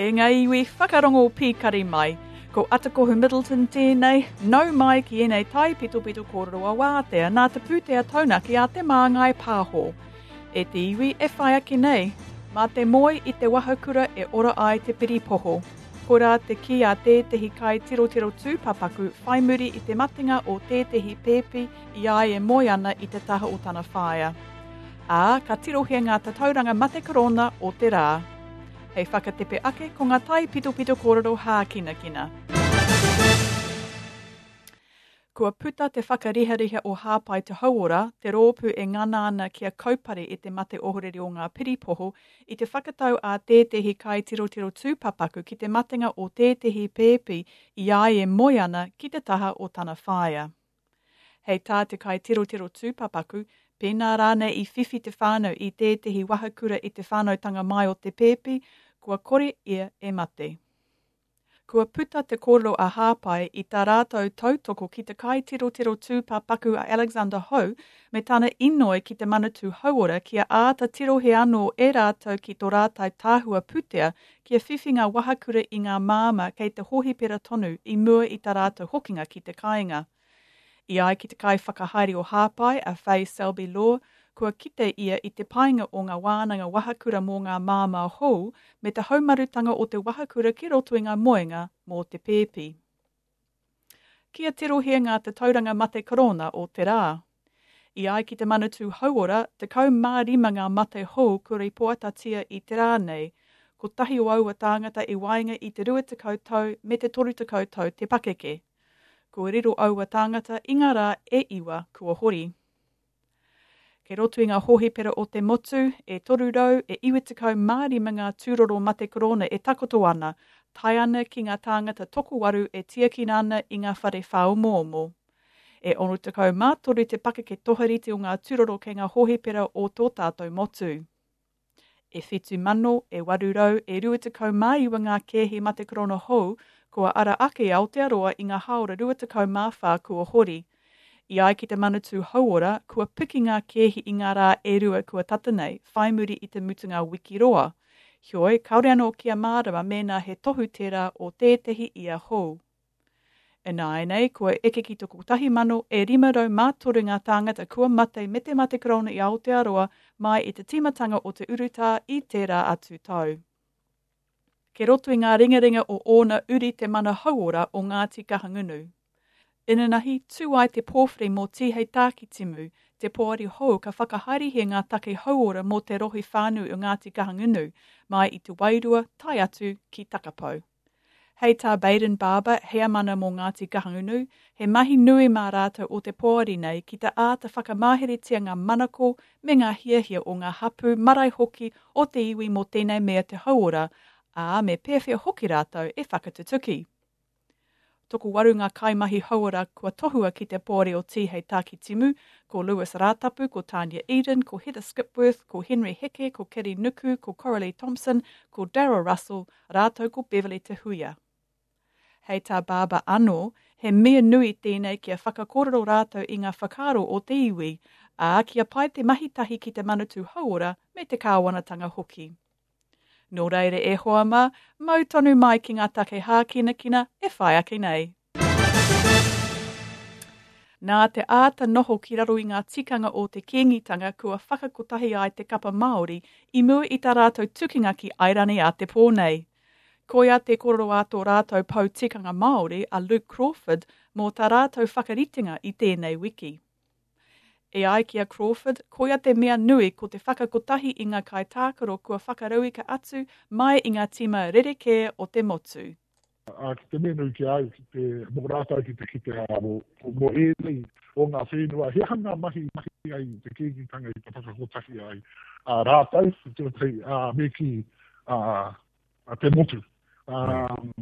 E ngā iwi whakarongo pīkari mai, ko Atakohu Middleton tēnei, nau mai ki ēnei taipitopito kōrero a Wātea nā te pūtea taunaki a Te Māngai Pāho. E te iwi e whai ake nei, mā te moe i te wahakura e ora ai te piripoho. Koirā te kī a tētehi kaitirotiro tūpapaku whai muri i te matenga o tētehi pēpi i a ia e moe ana i te taha o tana whaea. Ā, ka tirohia ngā tatauranga mate korona o te rā. Hei whakatepe ake ko ngā taipitopito kōrero hākinakina. Kua puta te whakarihariha o Hāpai Te Hauora, te rōpū e ngana ana kia kaupare i te mate ohorere o ngā piripoho, i te whakatau a tētehi kaitirotiro tūpapaku ki te matenga o tētehi pēpi i a ia e moe ana ki te taha o tana whaea. Hei tā te kaitirotiro tūpapaku, pēnā rānei i whiwhi te whānau i tētehi wahakura i te whānautanga mai o te pēpi, kua kore ia e mate. Kua puta te kōrero a Hāpai i tā rātou tautoko ki te kaitirotiro tūpapaku a Alexander Ho me tana inoi ki te Manatū Hauora kia āta tirohia anō e rātou ki tō rātou tahua pūtea kia whiwhi ngā wahakura i ngā māmā kei te hōhipera tonu i mua i tā rātou hokinga ki te kāinga. I ai ki te kaiwhakahaere o Hāpai, a Faye Selby Law, kua kite ia i te painga o ngā wānanga wahakura mō ngā māmā hou me te haumarutanga o te wahakura ki roto i ngā moenga mō te pēpi. Kia tirohia ngā tatauranga mate korona o te rā. I ai ki te Manatū Hauora, 15 ngā mate hou kua rīpoatatia i te rā nei, kotahi o aua tāngata i waenga i te 20 tau me te 30 tau te pakeke. Kua riro aua tāngata i ngā rā e iwa kua hori. Kei roto i ngā hōhipera o te motu, e 300 e 95 ngā tūroro mate korona e takoto ana, tae ana ki ngā tāngata tokowaru e tiakina ana i ngā whare whāomoomo. E 63 te pakeke toharite o ngā tūroro kei ngā hōhipera o tō tātou motu. E 7,000 e 800 e 29 ngā kēhi mate korona hou kua ara ake i Aotearoa i ngā hāora 24 kua hori. I ai ki te Manatū Hauora, kua piki ngā kēhi i ngā rā e rua kua tata nei, whai muri i te mutunga wiki roa. Heoi, kāore anō kia mārama mēnā he tohu tērā o tētehi ia hou. Ināianei, kua eke ki te 1,000 e 503 ngā tāngata kua mate me te mate korona i Aotearoa mai i te tīmatanga o te urutā i tērā atu tau. Kei roto i ngā ringaringa o ōna uri te mana hauora o Ngāti Kahungunu. Inanahi, tū ai te pōwhiri mō Tihei Tākitimu, te poari hou ka whakahaerehia ngā take hauora mō te rohe whānui o Ngāti Kahungunu, mai i Te Wairua tae atu ki Takapau. Hei tā Bayden Barber, heamana mō Ngāti Kahungunu, he mahi nui mā rātou o te poari nei ki te āta whakamaheretia ngā manako me ngā hiahia o ngā hapū, marae hoki o te iwi mō tēnei mea te hauora, ā, me pēwhea hoki rātou e whakatutuki. Tokowaru ngā kaimahi hauora kua tohua ki te poari o Tihei Tākitimu, ko Lewis Rātapu, ko Tania Eden, ko Heather Skipworth, ko Henry Heke, ko Keri Nuku, ko Coralie Thompson, ko Daryl Russell, rātou ko Beverley Te Huia. Hei tā Barber anō, he mea nui tēnei kia whakakōrero rātou i ngā whakaaro o te iwi, ā, kia pai te mahi tahi ki te Manatū Hauora me te kāwanatanga hoki. Nō reira e hoa mā, mau tonu mai ki ngā take hākinakina e whai ake nei. Nā te āta noho ki raro i ngā tikanga o te Kīngitanga kua whakakotahi ai te kapa Māori i mua i tā rātou tukinga ki Airani a te pō nei. Koia te kōrero a tō rātou pou tikanga Māori a Luke Crawford mō tā rātou whakaritenga i tēnei wiki. E ai ki a Crawford, koia te mea nui ko te whakakotahi i ngā kaitākaro kua whakarauika atu mai i ngā tīma rerekē o te motu. Ā, ki te mea nui ki a au, ki te, mō rātou ki te kite, ā, mō, mō ēnei o ngā whenua, he aha ngā mahi i mahi ai te Kīngitanga i te whakakotahi ai, ā, rātou, tuatahi, ā, me kī, ā, te motu. Ā,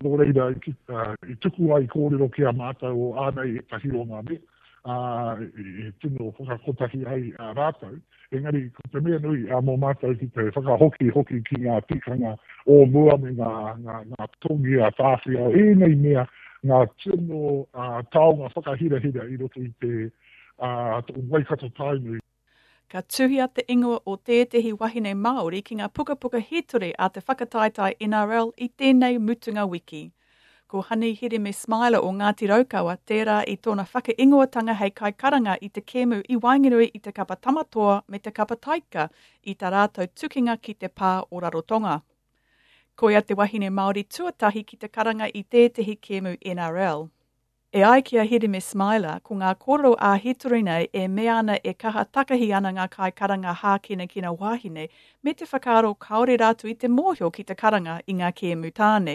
nō reira, i tuku ai kōrero ki a mātou o ānei ētahi o ngā mea, ā, e tino whakakotahi ai rātou. Engari, ko te mea nui mō mātou ki te whakahoki hoki ki ngā tikanga o mua me ngā, ngā, ngā tongi a Tāwhiao, ēnei mea, ngā tino taonga whakahirahira i roto i te, ā, Waikato Tainui. Ka tuhia te ingoa o tētehi wahine Māori ki ngā pukapuka hītori a te whakataetae NRL i tēnei mutunga wiki. Ko Honey Hireme Smiler o Ngāti Raukawa tērā i tōna whakaingoatanga hei kaikaranga i te kēmu i waenganui i te kapa Tamatoa me te kapa Taika i tā rātou tukinga ki te pā o Rarotonga. Koia te wahine Māori tuatahi ki te karanga i tētehi kēmu NRL. E ai ki a Hireme Smiler, ko ngā kōrero ā-hītori nei e mea ana e kaha takahi ana ngā kaikaranga hākinakina wāhine me te whakaaro kāore rātou i te mōhio ki te karanga i ngā kēmu tāne.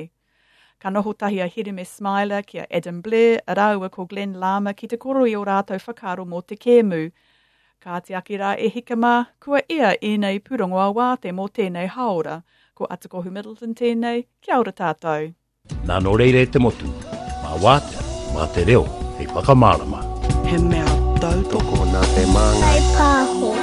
Ka noho tahi a Hireme Smiler ki a Adam Blair rāua ko Glenn Larmer ki te kōrero i ō rātou whakaaro mō te kēmu. Kāti ake rā e hika mā, kua ea ēnei pūrongo ā-wāte mō tēnei hāora. Ko Atakohu Middleton tēnei, kia ora tātou. Nā nō reira e te motu, mā Wātea, mā te reo hei whakamārama. He mea tautoko. Tokona te māngai. Whai pāho.